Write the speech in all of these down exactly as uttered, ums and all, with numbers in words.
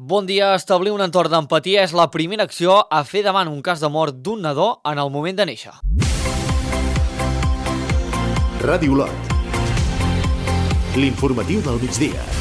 Bon dia. Establir un entorn d'empatia és la primera acció a fer davant un cas de mort d'un nadó en el moment de néixer. Ràdio Lot. L'informatiu del migdia.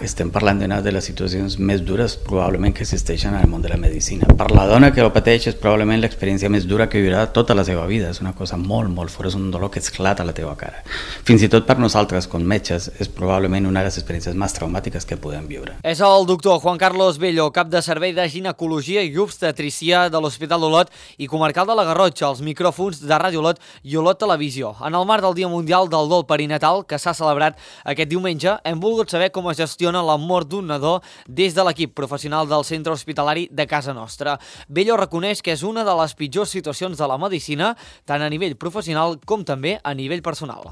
Estem parlant d'una de les situacions més dures probablement que existeixen en el món de la medicina. Per la dona que ho pateix és probablement l'experiència més dura que viurà tota la seva vida. És una cosa molt, molt fort, és un dolor que esclata a la teva cara. Fins i tot per nosaltres, com metges, és probablement una de les experiències més traumàtiques que podem viure. És el doctor Juan Carlos Bello, cap de servei de ginecologia i obstetrícia de l'Hospital d'Olot i comarcal de la Garrotxa, als micròfons de Ràdio Olot i Olot Televisió. En el marc del Dia Mundial del Dol Perinatal, que s'ha celebrat aquest diumenge, hem volgut saber com es gestiona la mort d'un nadó des de l'equip professional del centre hospitalari de casa nostra. Bello reconeix que és una de les pitjors situacions de la medicina, tant a nivell professional com també a nivell personal.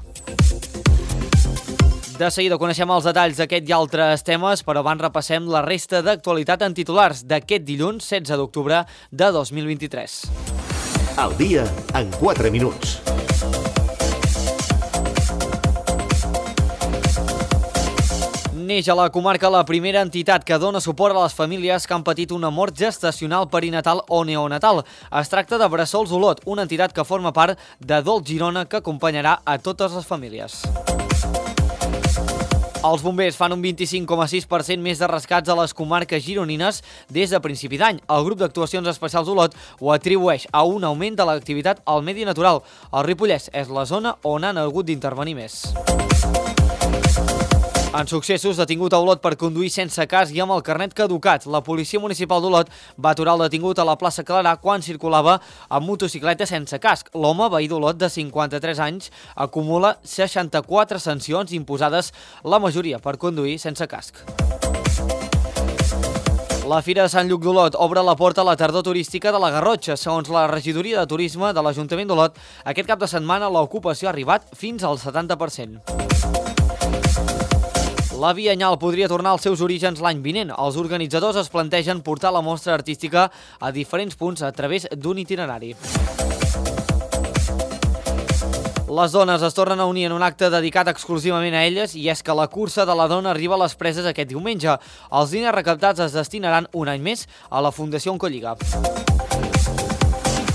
De seguida coneixem els detalls d'aquest i altres temes, però abans repassem la resta d'actualitat en titulars d'aquest dilluns setze d'octubre de dos mil vint-i-tres. El dia en quatre minuts. Neix a la comarca la primera entitat que dona suport a les famílies que han patit una mort gestacional perinatal o neonatal. Es tracta de Bressols Olot, una entitat que forma part de Dol Girona que acompanyarà a totes les famílies. Els bombers fan un vint-i-cinc coma sis per cent més de rescats a les comarques gironines des de principi d'any. El grup d'actuacions especials Olot ho atribueix a un augment de l'activitat al medi natural. El Ripollès és la zona on han hagut d'intervenir més. En successos, detingut a Olot per conduir sense casc i amb el carnet caducat. La policia municipal d'Olot va aturar el detingut a la plaça Clarà quan circulava amb motocicleta sense casc. L'home, veí d'Olot de cinquanta-tres anys, acumula seixanta-quatre sancions imposades, la majoria per conduir sense casc. La Fira de Sant Lluc d'Olot obre la porta a la tardor turística de la Garrotxa. Segons la regidoria de turisme de l'Ajuntament d'Olot, aquest cap de setmana l'ocupació ha arribat fins al setanta per cent. La Biennal podria tornar als seus orígens l'any vinent. Els organitzadors es plantegen portar la mostra artística a diferents punts a través d'un itinerari. Les dones es tornen a unir en un acte dedicat exclusivament a elles i és que la cursa de la dona arriba a les preses aquest diumenge. Els diners recaptats es destinaran un any més a la Fundació Oncolliga.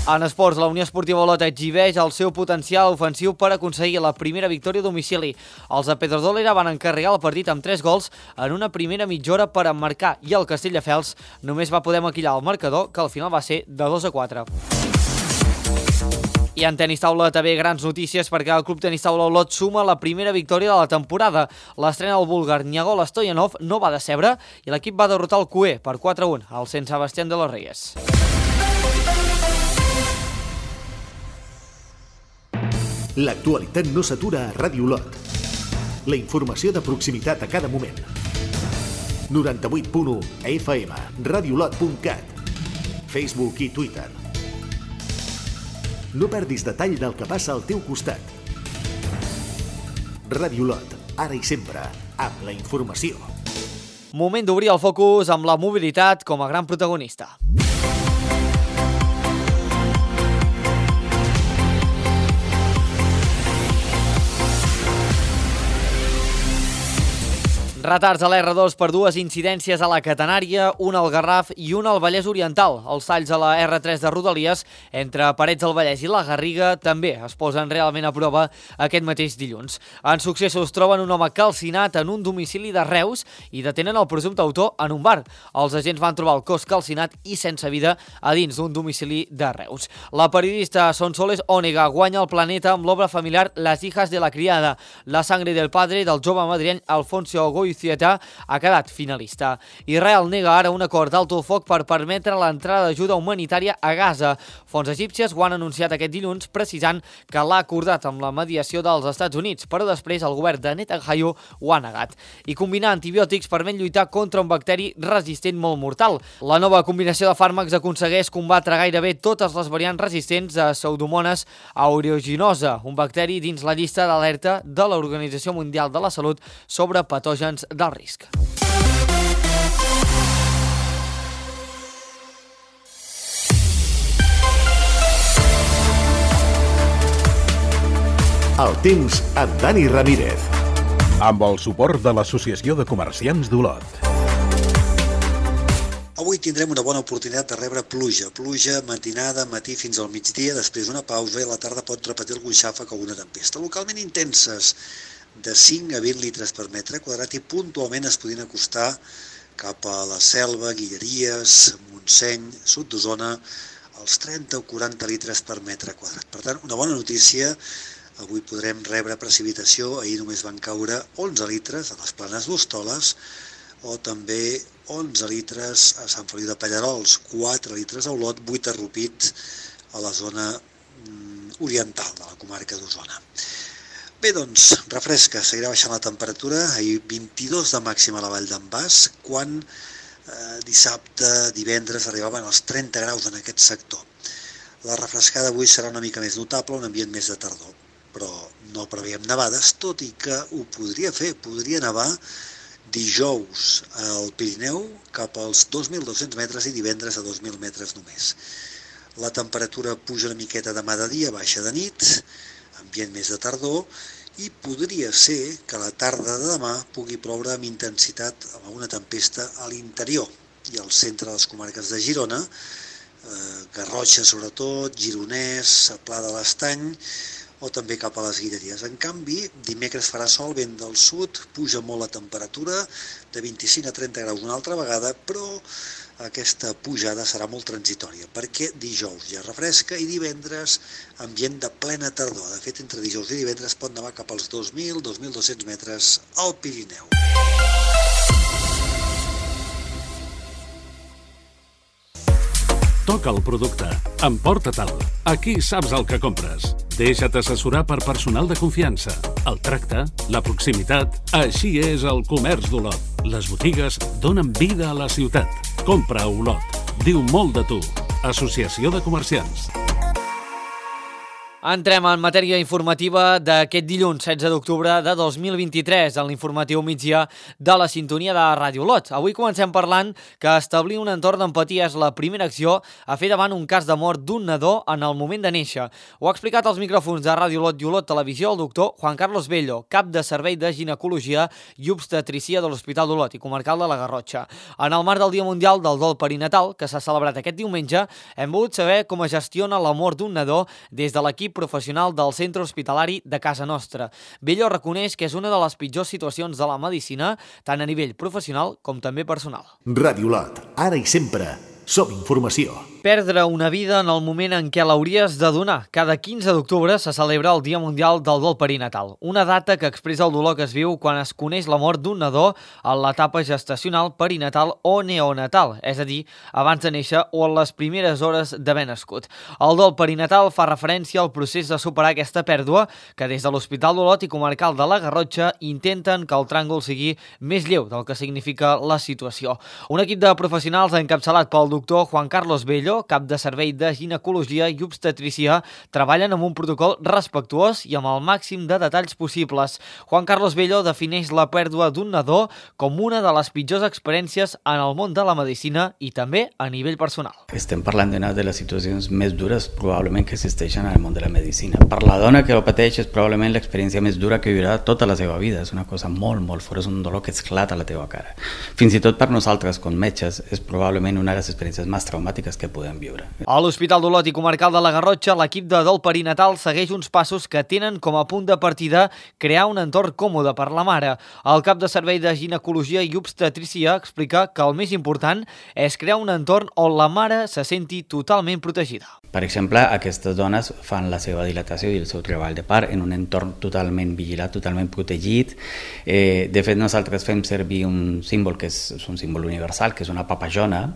En esports, la Unió Esportiva Olot exhibeix el seu potencial ofensiu per aconseguir la primera victòria a domicili. Els de Pedrodolera van encarregar el partit amb tres gols en una primera mitja hora per emmarcar i el Castelldefels només va poder maquillar el marcador, que al final va ser de dos a quatre. I en tenis taula també grans notícies perquè el Club Tenis Taula Olot suma la primera victòria de la temporada. L'estrena del búlgar Niagol Stoyanov no va decebre i l'equip va derrotar el Cué per quatre a un al Sant Sebastián de los Reyes. L'actualitat no s'atura a Ràdio Olot. La informació de proximitat a cada moment. noranta-vuit punt u F M, radiolot punt cat, Facebook i Twitter. No perdis detall del que passa al teu costat. Ràdio Olot, ara i sempre, amb la informació. Moment d'obrir el focus amb la mobilitat com a gran protagonista. Retards a l'R dos per dues incidències a la Catenària, una al Garraf i una al Vallès Oriental. Els talls a la R tres de Rodalies entre Parets del Vallès i la Garriga també es posen realment a prova aquest mateix dilluns. En successos troben un home calcinat en un domicili de Reus i detenen el presumpte autor en un bar. Els agents van trobar el cos calcinat i sense vida a dins d'un domicili de Reus. La periodista Sonsoles Ònega guanya el Planeta amb l'obra familiar Las hijas de la criada. La sangre del padre del jove madriany Alfonso Goy ha quedat finalista. Israel nega ara un acord d'alto el foc per permetre l'entrada d'ajuda humanitària a Gaza. Fonts egípcies ho han anunciat aquest dilluns, precisant que l'ha acordat amb la mediació dels Estats Units, però després el govern de Netanyahu ho ha negat. I combinar antibiòtics permet lluitar contra un bacteri resistent molt mortal. La nova combinació de fàrmacs aconsegueix combatre gairebé totes les variants resistents a Pseudomonas aeruginosa, un bacteri dins la llista d'alerta de l'Organització Mundial de la Salut sobre patògens del risc. El temps amb Dani Ramírez. amb el suport de l'Associació de Comerciants d'Olot. Avui tindrem una bona oportunitat de rebre pluja. Pluja matinada, matí fins al migdia, després una pausa i a la tarda pot repetir algun xàfec o alguna tempesta. Localment intenses, de cinc a vint litres per metre quadrat i puntualment es podien acostar cap a la Selva, Guilleries, Montseny, sud d'Osona, als trenta o quaranta litres per metre quadrat. Per tant, una bona notícia. Avui podrem rebre precipitació, ahir només van caure onze litres a les Planes d'Hostoles o també onze litres a Sant Feliu de Pallerols, quatre litres a Olot, vuit a Rupit a la zona oriental de la comarca d'Osona. Bé, doncs, refresca, seguirà baixant la temperatura, ahir vint-i-dos de màxima a la Vall d'en Bas, quan eh, dissabte, divendres arribaven als trenta graus en aquest sector. La refrescada avui serà una mica més notable, un ambient més de tardor, però no preveiem nevades, tot i que ho podria fer, podria nevar dijous al Pirineu cap als dos mil dos-cents metres i divendres a dos mil metres només. La temperatura puja una miqueta demà de dia, baixa de nit, ambient més de tardor, i podria ser que la tarda de demà pugui ploure amb intensitat amb una tempesta a l'interior i al centre de les comarques de Girona, eh, Garrotxa sobretot, Gironès, Pla de l'Estany, o també cap a les Guilleries. En canvi, dimecres farà sol, vent del sud, puja molt la temperatura, de vint-i-cinc a trenta graus una altra vegada, però aquesta pujada serà molt transitòria, perquè dijous ja refresca i divendres ambient de plena tardor. De fet, entre dijous i divendres pot nevar cap als dos mil a dos mil dos-cents metres al Pirineu. Toca el producte. Emporta-te'l. Aquí saps el que compres. Deixa't assessorar per personal de confiança. El tracte, la proximitat... Així és el comerç d'Olot. Les botigues donen vida a la ciutat. Compra a Olot. Diu molt de tu. Associació de Comerciants. Entrem en matèria informativa d'aquest dilluns, setze d'octubre de dos mil vint-i-tres, en l'informatiu migdia de la sintonia de Ràdio Olot. Avui comencem parlant que establir un entorn d'empatia és la primera acció a fer davant un cas de mort d'un nadó en el moment de néixer. Ho ha explicat als micròfons de Ràdio Olot i Olot Televisió el doctor Juan Carlos Bello, cap de servei de ginecologia i obstetrícia de l'Hospital d'Olot i comarcal de la Garrotxa. En el marc del Dia Mundial del Dol Perinatal, que s'ha celebrat aquest diumenge, hem volgut saber com es gestiona la mort d'un nadó des de l'equip professional del centre hospitalari de casa nostra. Bello reconeix que és una de les pitjors situacions de la medicina, tant a nivell professional com també personal. Ràdio Olot, ara i sempre, som informació. Perdre una vida en el moment en què l'hauries de donar. Cada quinze d'octubre se celebra el Dia Mundial del Dol Perinatal, una data que expressa el dolor que es viu quan es coneix la mort d'un nadó en l'etapa gestacional, perinatal o neonatal, és a dir, abans de néixer o en les primeres hores d'haver nascut. El dol perinatal fa referència al procés de superar aquesta pèrdua que des de l'Hospital d'Olot i comarcal de la Garrotxa intenten que el tràngol sigui més lleu del que significa la situació. Un equip de professionals encapçalat pel doctor Juan Carlos Bello, cap de servei de ginecologia i obstetrícia, treballen amb un protocol respectuós i amb el màxim de detalls possibles. Juan Carlos Bello defineix la pèrdua d'un nadó com una de les pitjors experiències en el món de la medicina i també a nivell personal. Estem parlant d'una de les situacions més dures probablement que existeixen en el món de la medicina. Per la dona que ho pateix és probablement l'experiència més dura que viurà tota la seva vida. És una cosa molt, molt fort, és un dolor que esclata a la teva cara. Fins i tot per nosaltres, com metges, és probablement una de les experiències més traumàtiques que podem viure. A l'Hospital d'Olot i comarcal de la Garrotxa, l'equip de dol perinatal segueix uns passos que tenen com a punt de partida crear un entorn còmode per la mare. El cap de servei de ginecologia i obstetrícia explica que el més important és crear un entorn on la mare se senti totalment protegida. Per exemple, aquestes dones fan la seva dilatació i el seu treball de part en un entorn totalment vigilat, totalment protegit. Eh, de fet, nosaltres fem servir un símbol que és, és un símbol universal, que és una papallona,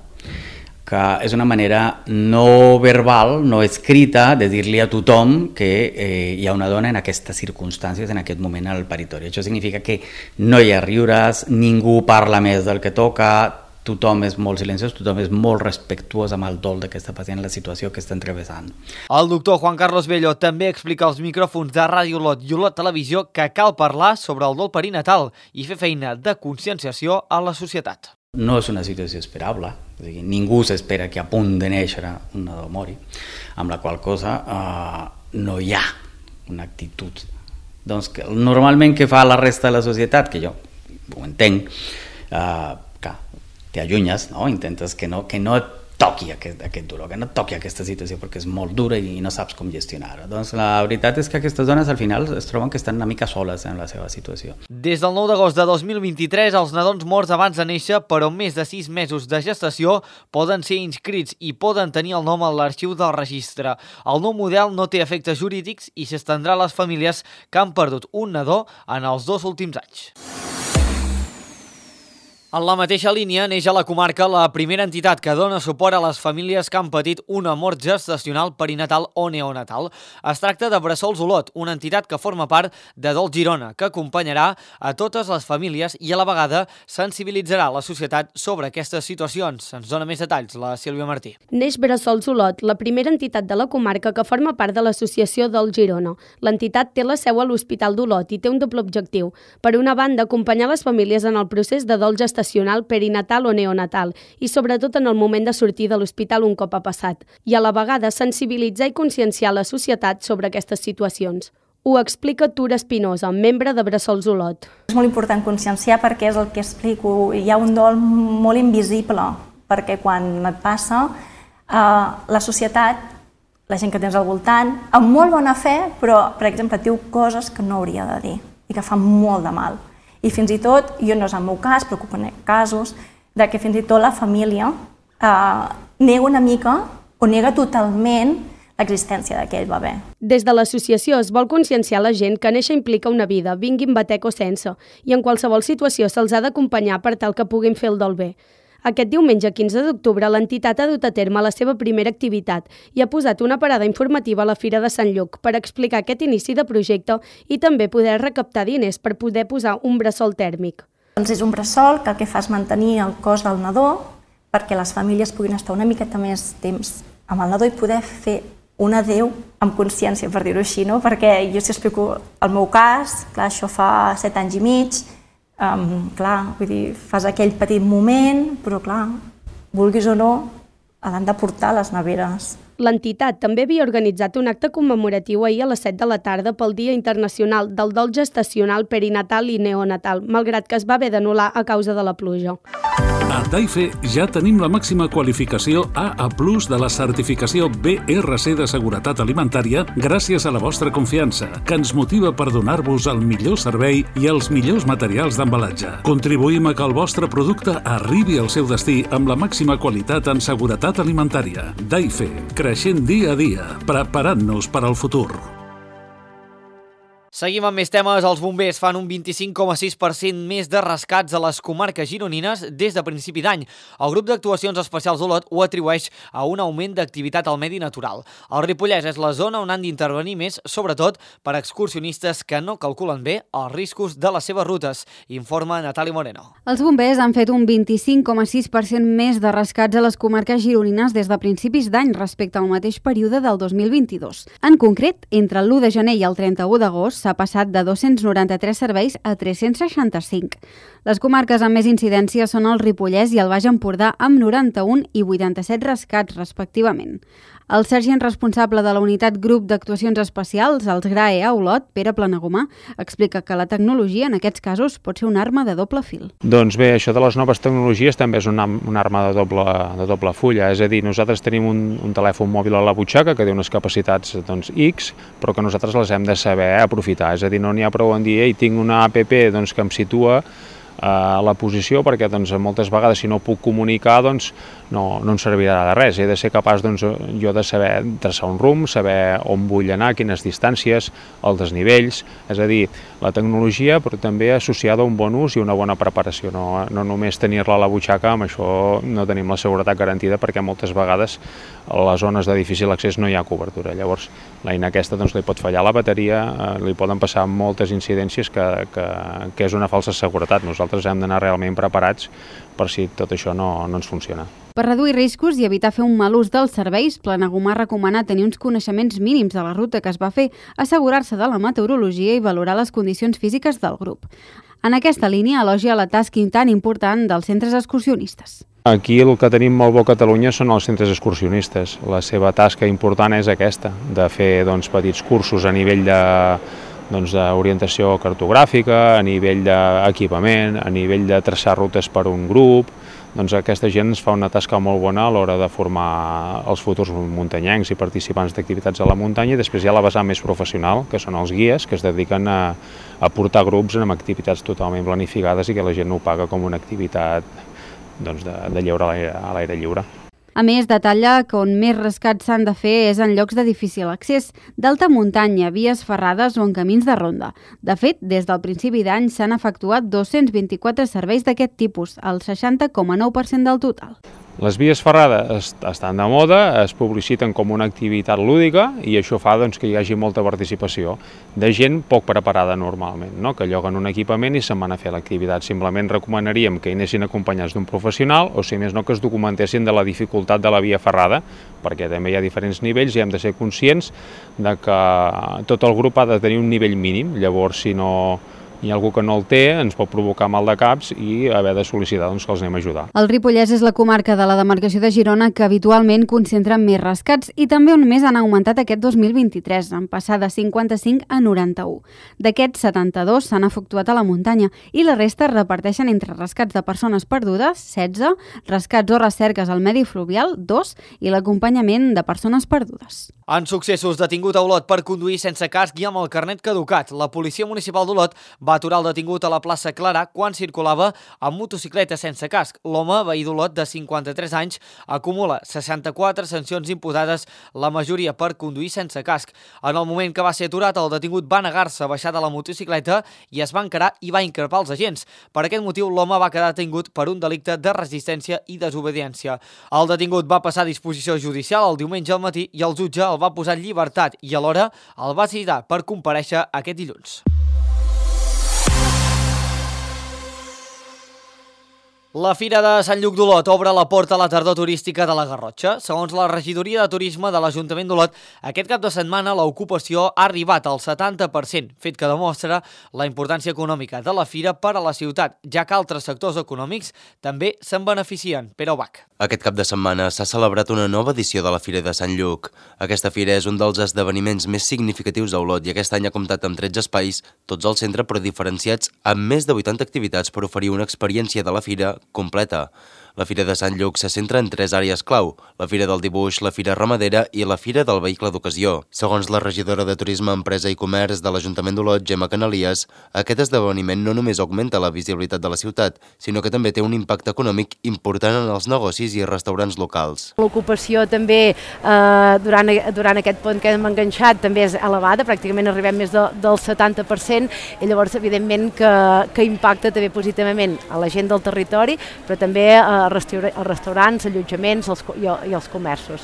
que és una manera no verbal, no escrita, de dir-li a tothom que eh, hi ha una dona en aquestes circumstàncies, en aquest moment al paritori. Això significa que no hi ha riures, ningú parla més del que toca, tothom és molt silenciós, tothom és molt respectuós amb el dol d'aquesta pacient, la situació que està travessant. El doctor Juan Carlos Bello també explica als micròfons de Ràdio Olot i Olot Televisió que cal parlar sobre el dol perinatal i fer feina de conscienciació a la societat. No és una situació esperable, és a dir, ningú s'espera que a punt de néixer un nadó mori, amb la qual cosa eh, no hi ha una actitud Doncs que, normalment què fa la resta de la societat, que jo ho entenc, uh, que t'allunyes, no? Intentes que no, que no et toqui aquest, aquest dolor, que no et toqui aquesta situació perquè és molt dura i no saps com gestionar-ho. Doncs la veritat és que aquestes dones al final es troben que estan una mica soles en la seva situació. Des del nou d'agost de dos mil vint-i-tres, els nadons morts abans de néixer, però amb més de sis mesos de gestació, poden ser inscrits i poden tenir el nom a l'arxiu del registre. El nou model no té efectes jurídics i s'estendrà a les famílies que han perdut un nadó en els dos últims anys. En la mateixa línia neix a la comarca la primera entitat que dona suport a les famílies que han patit una mort gestacional, perinatal o neonatal. Es tracta de Bressols Olot, una entitat que forma part de Dol Girona, que acompanyarà a totes les famílies i a la vegada sensibilitzarà la societat sobre aquestes situacions. Ens dona més detalls la Sílvia Martí. Neix Bressols Olot, la primera entitat de la comarca que forma part de l'associació Dol Girona. L'entitat té la seu a l'Hospital d'Olot i té un doble objectiu. Per una banda, acompanyar les famílies en el procés de dol gestacional perinatal o neonatal i sobretot en el moment de sortir de l'hospital un cop ha passat, i a la vegada sensibilitzar i conscienciar la societat sobre aquestes situacions. Ho explica Tura Espinosa, membre de Bressols Olot. És molt important conscienciar perquè és el que explico. Hi ha un dol molt invisible, perquè quan et passa, eh, la societat, la gent que tens al voltant, amb molt bona fe, però, per exemple, et diu coses que no hauria de dir i que fan molt de mal. I fins i tot, jo no és el meu cas, però conec casos, de que fins i tot la família eh, nega una mica o nega totalment l'existència d'aquell bebè. Des de l'associació es vol conscienciar la gent que néixer implica una vida, vinguin batec o sense, i en qualsevol situació se'ls ha d'acompanyar per tal que puguin fer el dol bé. Aquest diumenge quinze d'octubre l'entitat ha dut a terme la seva primera activitat i ha posat una parada informativa a la Fira de Sant Lluc per explicar aquest inici de projecte i també poder recaptar diners per poder posar un bressol tèrmic. Doncs és un bressol que el que fa és mantenir el cos del nadó perquè les famílies puguin estar una miqueta més temps amb el nadó i poder fer un adéu amb consciència, per dir-ho així, no? Perquè jo si explico el meu cas, clar, això fa set anys i mig, Um, clar, vull dir, fas aquell petit moment, però clar, vulguis o no, l'han de portar a les neveres. L'entitat també havia organitzat un acte commemoratiu ahir a les set de la tarda pel Dia Internacional del Dol Gestacional, Perinatal i Neonatal, malgrat que es va haver d'anul·lar a causa de la pluja. A Daife ja tenim la màxima qualificació A A plus de la certificació B R C de seguretat alimentària gràcies a la vostra confiança, que ens motiva per donar-vos el millor servei i els millors materials d'embalatge. Contribuïm a que el vostre producte arribi al seu destí amb la màxima qualitat en seguretat alimentària. Daife, creixent dia a dia, preparant-nos per al futur. Seguim amb més temes. Els bombers fan un vint-i-cinc coma sis per cent més de rescats a les comarques gironines des de principi d'any. El grup d'actuacions especials d'Olot ho atribueix a un augment d'activitat al medi natural. El Ripollès és la zona on han d'intervenir més, sobretot per excursionistes que no calculen bé els riscos de les seves rutes, informa Natàlia Moreno. Els bombers han fet un vint-i-cinc coma sis per cent més de rescats a les comarques gironines des de principis d'any respecte al mateix període del dos mil vint-i-dos. En concret, entre l'u de gener i el trenta-u d'agost s'ha passat de dos-cents noranta-tres serveis a tres-cents seixanta-cinc. Les comarques amb més incidència són el Ripollès i el Baix Empordà amb noranta-un i vuitanta-set rescats, respectivament. El sergent responsable de la unitat Grup d'Actuacions Especials, els G R A E a Olot, Pere Planagumà, explica que la tecnologia en aquests casos pot ser una arma de doble fil. Doncs bé, això de les noves tecnologies també és una, una arma de doble, de doble fulla, és a dir, nosaltres tenim un, un telèfon mòbil a la butxaca que té unes capacitats doncs, X, però que nosaltres les hem de saber aprofitar, és a dir, no n'hi ha prou en dir, ei, tinc una app doncs, que em situa a la posició perquè doncs, moltes vegades si no puc comunicar doncs, no, no em servirà de res. He de ser capaç doncs, jo de saber traçar un rumb, saber on vull anar, quines distàncies, els desnivells, és a dir, la tecnologia però també associada a un bon ús i una bona preparació, no, no només tenir-la a la butxaca, amb això no tenim la seguretat garantida perquè moltes vegades a les zones de difícil accés no hi ha cobertura. Llavors l'eina aquesta doncs, li pot fallar la bateria, eh, li poden passar moltes incidències que, que, que és una falsa seguretat. Nosaltres hem d'anar realment preparats per si tot això no, no ens funciona. Per reduir riscos i evitar fer un mal ús dels serveis, Planagumà recomana tenir uns coneixements mínims de la ruta que es va fer, assegurar-se de la meteorologia i valorar les condicions físiques del grup. En aquesta línia elogia la tasca tan important dels centres excursionistes. Aquí el que tenim molt bo a Catalunya són els centres excursionistes. La seva tasca important és aquesta, de fer doncs, petits cursos a nivell de doncs, d'orientació cartogràfica, a nivell d'equipament, a nivell de traçar rutes per un grup. Doncs aquesta gent ens fa una tasca molt bona a l'hora de formar els futurs muntanyencs i participants d'activitats a la muntanya, i després hi ha la vessant més professional, que són els guies, que es dediquen a, a portar grups amb activitats totalment planificades i que la gent ho paga com una activitat doncs, de, de lleure a l'aire lliure. A més, detalla que on més rescats s'han de fer és en llocs de difícil accés, d'alta muntanya, vies ferrades o en camins de ronda. De fet, des del principi d'any s'han efectuat dos-cents vint-i-quatre serveis d'aquest tipus, el seixanta coma nou per cent del total. Les vies ferrades estan de moda, es publiciten com una activitat lúdica i això fa doncs, que hi hagi molta participació de gent poc preparada normalment, no? Que lloguen un equipament i se'n van a fer l'activitat. Simplement recomanaríem que hi anessin acompanyats d'un professional o, si més no, que es documentessin de la dificultat de la via ferrada, perquè també hi ha diferents nivells i hem de ser conscients de que tot el grup ha de tenir un nivell mínim. Llavors, si no hi ha algú que no el té, ens pot provocar mal de caps i haver de sol·licitar doncs, que els anem a ajudar. El Ripollès és la comarca de la demarcació de Girona que habitualment concentra més rescats i també on més han augmentat aquest dos mil vint-i-tres, en passar de cinquanta-cinc a noranta-u. D'aquests, setanta-dos s'han efectuat a la muntanya i la resta es reparteixen entre rescats de persones perdudes, setze, rescats o recerques al medi fluvial, dos, i l'acompanyament de persones perdudes. En successos, detingut a Olot per conduir sense casc i amb el carnet caducat. La Policia Municipal d'Olot va aturar el detingut a la plaça Clara quan circulava amb motocicleta sense casc. L'home, veí d'Olot de cinquanta-tres anys, acumula seixanta-quatre sancions imputades, la majoria per conduir sense casc. En el moment que va ser aturat, el detingut va negar-se a baixar de la motocicleta i es va encarar i va increpar els agents. Per aquest motiu, l'home va quedar detingut per un delicte de resistència i desobediència. El detingut va passar a disposició judicial el diumenge al matí i el jutge el va posar en llibertat i alhora el va citar per comparèixer aquest dilluns. La Fira de Sant Lluc d'Olot obre la porta a la tardor turística de la Garrotxa. Segons la regidoria de turisme de l'Ajuntament d'Olot, aquest cap de setmana l'ocupació ha arribat al setanta per cent, fet que demostra la importància econòmica de la fira per a la ciutat, ja que altres sectors econòmics també se'n beneficien. Pere Ubach. Aquest cap de setmana s'ha celebrat una nova edició de la Fira de Sant Lluc. Aquesta fira és un dels esdeveniments més significatius a Olot i aquest any ha comptat amb tretze espais, tots al centre però diferenciats, amb més de vuitanta activitats per oferir una experiència de la fira completa. La Fira de Sant Lluc se centra en tres àrees clau: la Fira del Dibuix, la Fira Ramadera i la Fira del Vehicle d'Ocasió. Segons la regidora de Turisme, Empresa i Comerç de l'Ajuntament d'Olot, Gemma Canalies, aquest esdeveniment no només augmenta la visibilitat de la ciutat, sinó que també té un impacte econòmic important en els negocis i restaurants locals. L'ocupació també, eh, durant, durant aquest pont que hem enganxat, també és elevada, pràcticament arribem més de, del setanta per cent, i llavors evidentment que, que impacta també positivament a la gent del territori, però també a als restaurants, allotjaments els, i, i els comerços.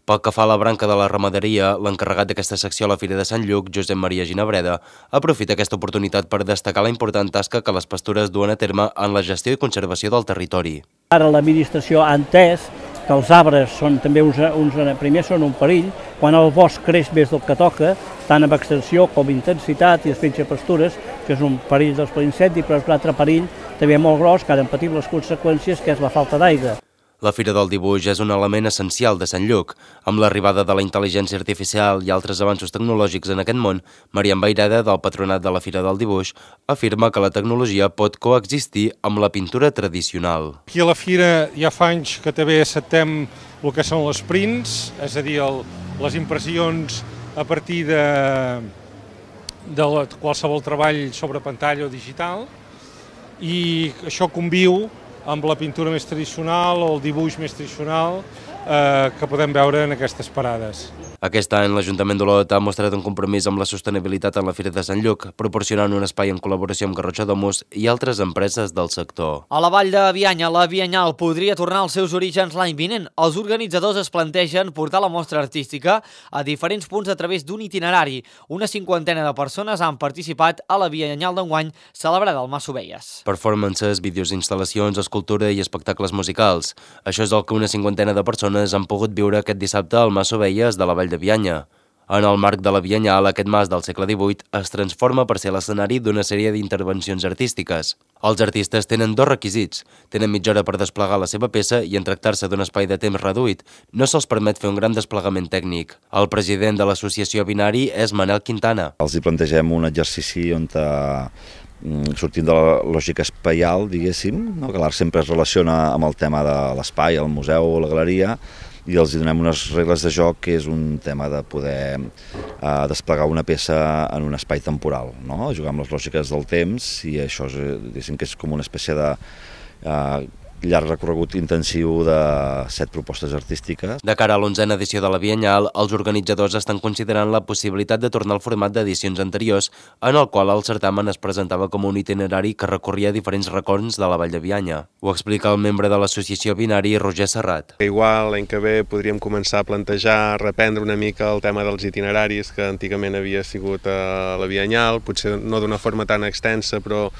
Pel que fa a la branca de la ramaderia, l'encarregat d'aquesta secció a la Fira de Sant Lluc, Josep Maria Ginabreda, aprofita aquesta oportunitat per destacar la important tasca que les pastures duen a terme en la gestió i conservació del territori. Ara l'administració ha entès que els arbres són també uns, uns, primer són un perill, quan el bosc creix més del que toca, tant amb extensió com intensitat i després pastures, que és un perill dels incendi, però és un altre perill també molt gros, que ara en patim les conseqüències, que és la falta d'aigua. La Fira del Dibuix és un element essencial de Sant Lluc. Amb l'arribada de la intel·ligència artificial i altres avanços tecnològics en aquest món, Marian Bairada, del patronat de la Fira del Dibuix, afirma que la tecnologia pot coexistir amb la pintura tradicional. Aquí a la Fira ja fa anys que també acceptem el que són les prints, és a dir, el, les impressions a partir de, de qualsevol treball sobre pantalla o digital, i això conviu amb la pintura més tradicional o el dibuix més tradicional eh, que podem veure en aquestes parades. Aquest any l'Ajuntament d'Olot ha mostrat un compromís amb la sostenibilitat en la Fira de Sant Lluc, proporcionant un espai en col·laboració amb Garrotxa Domus i altres empreses del sector. A la vall de Bianya, la Bianyal podria tornar als seus orígens l'any vinent. Els organitzadors es plantegen portar la mostra artística a diferents punts a través d'un itinerari. Una cinquantena de persones han participat a la Bianyal d'enguany, celebrada al Mas Ovelles. Performances, vídeos d'instal·lacions, escultura i espectacles musicals. Això és el que una cinquantena de persones han pogut viure aquest dissabte al Mas Ovelles de la Vall de Bianya. En el marc de la Biennal, aquest mas del segle divuit es transforma per ser l'escenari d'una sèrie d'intervencions artístiques. Els artistes tenen dos requisits. Tenen mitja hora per desplegar la seva peça i en tractar-se d'un espai de temps reduït, no se'ls permet fer un gran desplegament tècnic. El president de l'associació Binari és Manel Quintana. Els hi plantegem un exercici on sortint de la lògica espaial, diguéssim, no? Que l'art sempre es relaciona amb el tema de l'espai, el museu o la galeria, i els donem unes regles de joc que és un tema de poder eh, desplegar una peça en un espai temporal, no? Jugar amb les lògiques del temps, i això és, diguéssim, que és com una espècie de eh, llarg recorregut intensiu de set propostes artístiques. De cara a l'onzena edició de la Biennal, els organitzadors estan considerant la possibilitat de tornar al format d'edicions anteriors, en el qual el certamen es presentava com un itinerari que recorria diferents racons de la Vall de Bianya. Ho explica el membre de l'associació Binari, Roger Serrat. Igual l'any que ve podríem començar a plantejar, reprendre una mica el tema dels itineraris que antigament havia sigut a la Biennal, potser no d'una forma tan extensa, però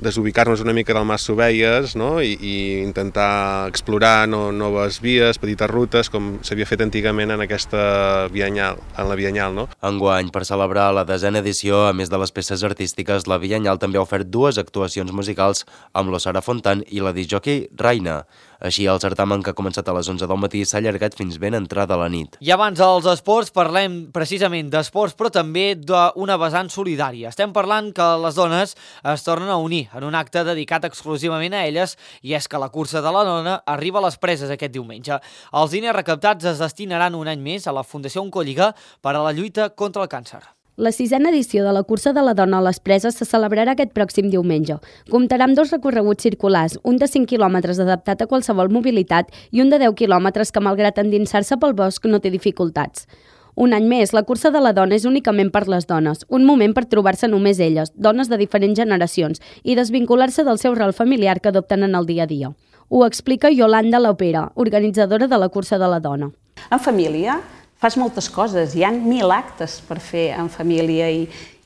desubicar-nos una mica del Mas Sovelles, no? I, i intentar explorar no, noves vies, petites rutes, com s'havia fet antigament en aquesta Biennal, en la Biennal, no? Enguany, per celebrar la desena edició, a més de les peces artístiques, la Biennal també ha ofert dues actuacions musicals amb l'Osara Fontan i la discjòquei Raina. Així, el certamen, que ha començat a les onze del matí, s'ha allargat fins ben entrada la nit. I abans dels esports, parlem precisament d'esports, però també d'una vessant solidària. Estem parlant que les dones es tornen a unir en un acte dedicat exclusivament a elles, i és que la cursa de la dona arriba a les Preses aquest diumenge. Els diners recaptats es destinaran un any més a la Fundació Oncòlliga per a la lluita contra el càncer. La sisena edició de la cursa de la dona a les Preses se celebrarà aquest pròxim diumenge. Comptarà amb dos recorreguts circulars, un de cinc quilòmetres adaptat a qualsevol mobilitat i un de deu quilòmetres que, malgrat endinsar-se pel bosc, no té dificultats. Un any més, la cursa de la dona és únicament per les dones, un moment per trobar-se només elles, dones de diferents generacions, i desvincular-se del seu rol familiar que adopten en el dia a dia. Ho explica Yolanda Lopera, organitzadora de la cursa de la dona. En família fas moltes coses, hi ha mil actes per fer en família i,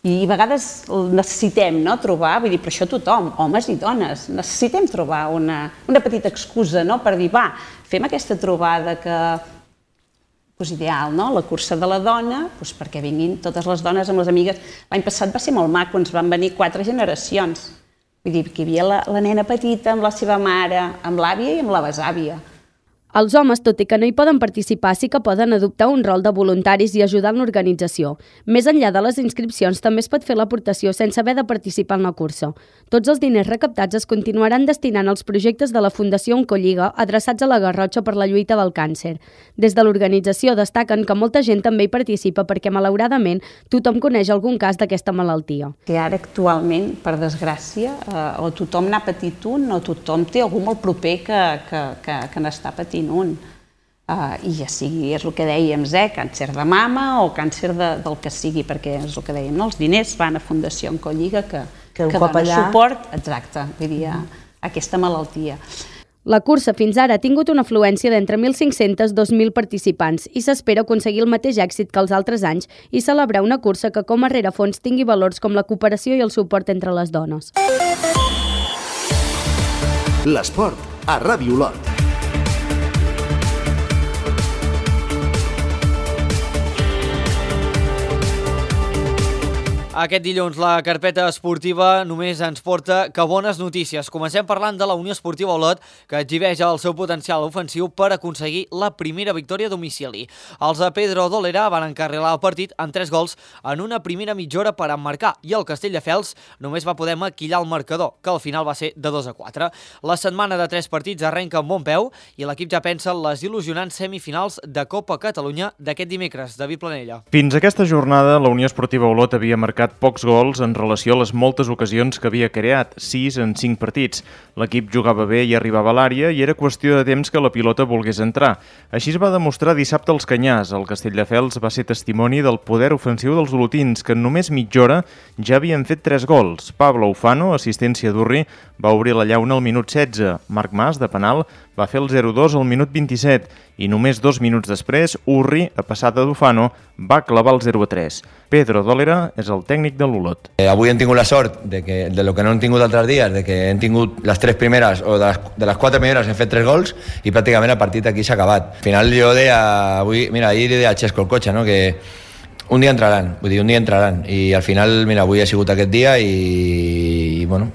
i a vegades necessitem, no, trobar, vull dir, per això tothom, homes i dones, necessitem trobar una, una petita excusa, no, per dir, va, fem aquesta trobada que pues, ideal, no? La cursa de la dona, pues, perquè vinguin totes les dones amb les amigues. L'any passat va ser molt maco, ens van venir quatre generacions. Vull dir, que hi havia la, la nena petita amb la seva mare, amb l'àvia i amb la besàvia. Els homes, tot i que no hi poden participar, sí que poden adoptar un rol de voluntaris i ajudar en l'organització. Més enllà de les inscripcions, també es pot fer l'aportació sense haver de participar en la cursa. Tots els diners recaptats es continuaran destinant als projectes de la Fundació Oncòlliga adreçats a la Garrotxa per la lluita del càncer. Des de l'organització destaquen que molta gent també hi participa perquè, malauradament, tothom coneix algun cas d'aquesta malaltia. Que ara, actualment, per desgràcia, eh, o tothom n'ha patit un o tothom té algú molt proper que, que, que, que n'està patint un. Uh, I ja sigui, és el que dèiem, eh, càncer de mama o càncer de, del que sigui, perquè és el que dèiem, no? Els diners van a Fundació Oncòlliga que, que, que dona allà suport, exacte, vull dir, a, a aquesta malaltia. La cursa fins ara ha tingut una afluència d'entre mil cinc-cents i dos mil participants i s'espera aconseguir el mateix èxit que els altres anys i celebrar una cursa que com a rerefons tingui valors com la cooperació i el suport entre les dones. L'esport a Ràdio Olot. Aquest dilluns la carpeta esportiva només ens porta que bones notícies. Comencem parlant de la Unió Esportiva Olot, que exhibeix el seu potencial ofensiu per aconseguir la primera victòria a domicili. Els de Pedro Dolera van encarrilar el partit amb tres gols en una primera mitja hora per emmarcar i el Castelldefels només va poder maquillar el marcador, que al final va ser de dos a quatre. La setmana de tres partits arrenca amb bon peu i l'equip ja pensa en les il·lusionants semifinals de Copa Catalunya d'aquest dimecres. David Planella. Fins aquesta jornada, la Unió Esportiva Olot havia marcat pocs gols en relació a les moltes ocasions que havia creat, sis en cinc partits. L'equip jugava bé i arribava a l'àrea i era qüestió de temps que la pilota volgués entrar. Així es va demostrar dissabte als Canyars. El Castelldefels va ser testimoni del poder ofensiu dels olotins, que en només mitja hora ja havien fet tres gols. Pablo Ufano, assistència d'Urri, va obrir la llauna al minut setze. Marc Mas, de penal, va fer el zero dos al minut vint-i-set i només dos minuts després, Urri, a passada d'Ufano, va clavar el zero a tres. Pedro Dolera és el tècnic de l'Olot. Eh, avui hem tingut la sort de, que, de lo que no hem tingut altres dies, de que hem tingut les tres primeres, o de les, de les quatre primeres hem fet tres gols i pràcticament el partit aquí s'ha acabat. Al final jo deia, avui, mira, ahir li deia a Xesco el cotxe, no? que un dia entraran, vull dir, un dia entraran i al final, mira, avui ha sigut aquest dia i, i bueno,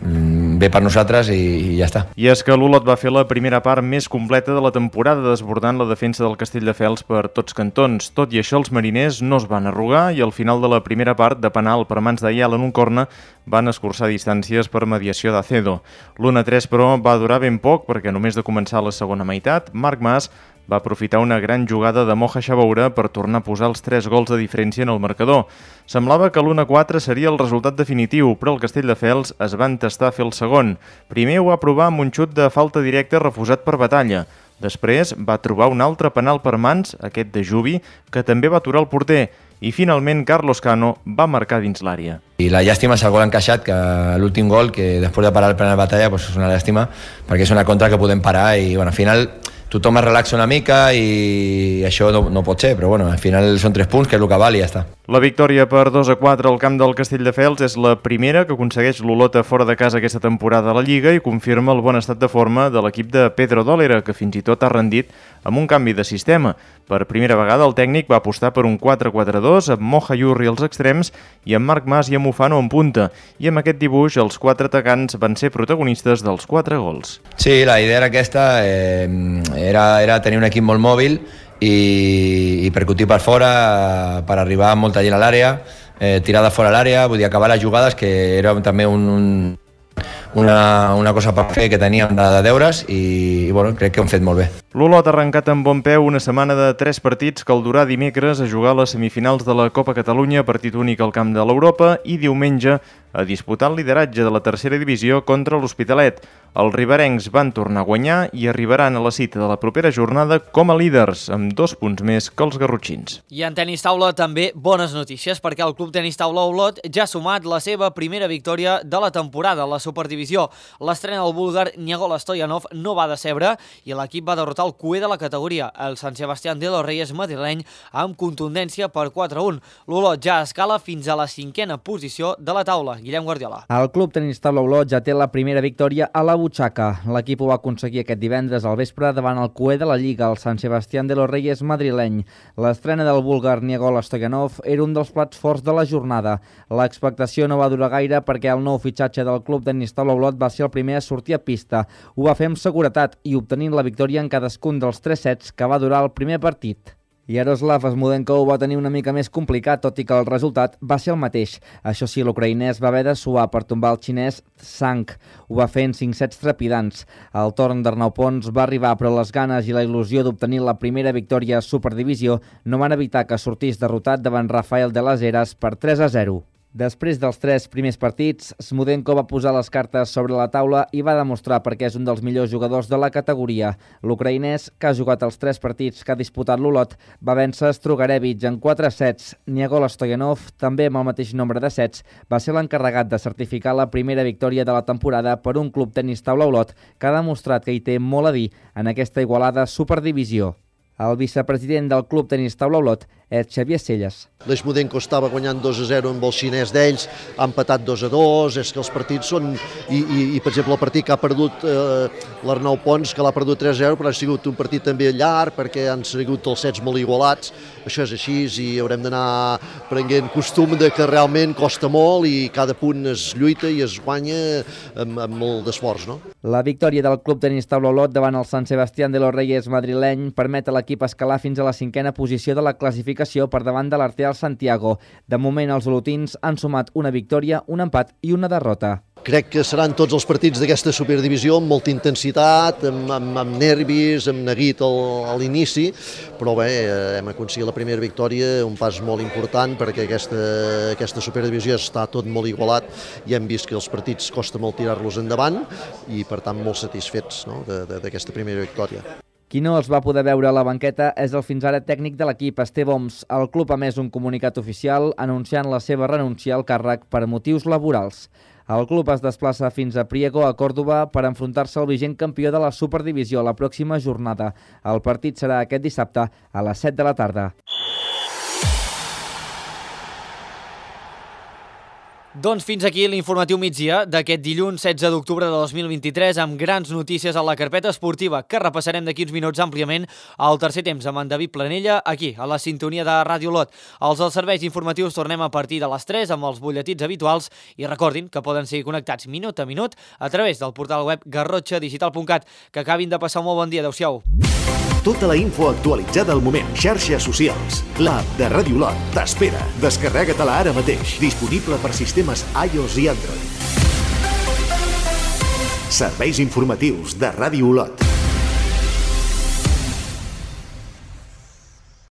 bé per nosaltres i, i ja està. I és que l'Olot va fer la primera part més completa de la temporada, desbordant la defensa del Castelldefels per tots cantons. Tot i això, els mariners no es van arrugar i al final de la primera part, de penal per mans d'Ayala en un corna, van escurçar distàncies per mediació d'Acedo. l'u a tres, però, va durar ben poc perquè només de començar la segona meitat, Marc Mas va aprofitar una gran jugada de Moja Xaboura per tornar a posar els tres gols de diferència en el marcador. Semblava que l'u a quatre seria el resultat definitiu, però el Castelldefels es va entestar a fer el segon. Primer ho va provar amb un xut de falta directa refusat per Batalla. Després va trobar un altre penal per mans, aquest de Jubi, que també va aturar el porter. I finalment Carlos Cano va marcar dins l'àrea. I la llàstima és el gol encaixat, que l'últim gol, que després de parar el penal Batalla, pues és una llàstima, perquè és una contra que podem parar i bueno, al final tothom es relaxa una mica i això no, no pot ser, però bueno, al final són tres punts, que és el que val i ja està. La victòria per dos a quatre al camp del Castelldefels és la primera que aconsegueix l'Olot fora de casa aquesta temporada a la Lliga i confirma el bon estat de forma de l'equip de Pedro Dólera, que fins i tot ha rendit amb un canvi de sistema. Per primera vegada el tècnic va apostar per un quatre quatre dos amb Moja Yurri als extrems i amb Marc Mas i Amufano en punta. I amb aquest dibuix els quatre atacants van ser protagonistes dels quatre gols. Sí, la idea era aquesta, eh, era, era tenir un equip molt mòbil i, i percutir per fora per arribar amb molta gent a l'àrea, eh, tirar de fora a l'àrea, vull dir, acabar les jugades, que era també un, un, una, una cosa per fer que teníem de, de deures i, i bueno, crec que ho hem fet molt bé. L'Olot ha arrencat amb bon peu una setmana de tres partits que el durà dimecres a jugar a les semifinals de la Copa Catalunya, partit únic al camp de l'Europa, i diumenge a disputar el lideratge de la tercera divisió contra l'Hospitalet. Els riberencs van tornar a guanyar i arribaran a la cita de la propera jornada com a líders, amb dos punts més que els garrotxins. I en tenis taula també bones notícies, perquè el Club Tenis Taula Olot ja ha sumat la seva primera victòria de la temporada a la Superdivisió. L'estrena del búlgar Nicola Stoyanov no va decebre i l'equip va derrotar el cué de la categoria, el Sant Sebastián de los Reyes madrileny, amb contundència per quatre a un. L'Olot ja escala fins a la cinquena posició de la taula. Guillem Guardiola. El Club Tenis Taula Olot ja té la primera victòria a la butxaca. L'equip ho va aconseguir aquest divendres al vespre davant el cué de la Lliga, el Sant Sebastián de los Reyes madrileny. L'estrena del búlgar Nicola Stoyanov era un dels plats forts de la jornada. L'expectació no va durar gaire perquè el nou fitxatge del Club Tenis Taula Olot va ser el primer a sortir a pista. Ho va fer amb seguretat i obtenint la victòria en cadascun dels tres sets que va durar el primer partit. Yaroslav Smudenko ho va tenir una mica més complicat, tot i que el resultat va ser el mateix. Això sí, l'ucraïnès va haver de suar per tombar el xinès Tsang. Ho va fer en cinc sets trepidants. El torn d'Arnau Pons va arribar, però les ganes i la il·lusió d'obtenir la primera victòria a Superdivisió no van evitar que sortís derrotat davant Rafael de las Heras per tres a zero. Després dels tres primers partits, Smudenko va posar les cartes sobre la taula i va demostrar per què és un dels millors jugadors de la categoria. L'ucraïnès, que ha jugat els tres partits que ha disputat l'Olot, va vèncer Strugarevich en quatre sets. Nicola Stoyanov, també amb el mateix nombre de sets, va ser l'encarregat de certificar la primera victòria de la temporada per un Club Tenis Taula Olot que ha demostrat que hi té molt a dir en aquesta igualada Superdivisió. El vicepresident del Club Tenis Taula Olot és Xavier Selles. L'Smudenko estava guanyant dos a zero amb el xinès d'ells, ha empatat dos a dos, és que els partits són... I, i, i per exemple, el partit que ha perdut eh, l'Arnau Pons, que l'ha perdut tres a zero, però ha sigut un partit també llarg, perquè han sigut els sets molt igualats. Això és així i haurem d'anar prenent costum de que realment costa molt i cada punt es lluita i es guanya amb, amb molt d'esforç, no? La victòria del Club Tenis Taula Olot davant el Sant Sebastián de los Reyes madrileny permet a l'equip escalar fins a la cinquena posició de la classificació per davant de l'Arteal Santiago. De moment, els olotins han sumat una victòria, un empat i una derrota. Crec que seran tots els partits d'aquesta Superdivisió amb molta intensitat, amb, amb, amb nervis, amb neguit al, a l'inici, però bé, hem aconseguit la primera victòria, un pas molt important perquè aquesta, aquesta Superdivisió està tot molt igualat i hem vist que els partits costa molt tirar-los endavant i per tant molt satisfets, no?, d'aquesta primera victòria. Qui no els va poder veure a la banqueta és el fins ara tècnic de l'equip, Esteve Oms. El club ha emès un comunicat oficial anunciant la seva renúncia al càrrec per motius laborals. El club es desplaça fins a Priego, a Còrdova, per enfrontar-se al vigent campió de la Superdivisió la pròxima jornada. El partit serà aquest dissabte a les set de la tarda. Doncs fins aquí l'informatiu migdia d'aquest dilluns setze d'octubre de dos mil vint-i-tres amb grans notícies a la carpeta esportiva que repassarem d'aquí uns minuts àmpliament al tercer temps amb en David Planella aquí, a la sintonia de Ràdio Lot. Els dels serveis informatius tornem a partir de les tres amb els butlletins habituals i recordin que poden seguir connectats minut a minut a través del portal web garrotxa digital punt cat. Que acabin de passar un molt bon dia. Adéu-siau. Tota la info actualitzada al moment. Xarxes socials. L'app de Ràdio Lot t'espera. Descarrega-te-la ara mateix. Disponible per sistemes iOS i Android. Serveis informatius de Ràdio Lot.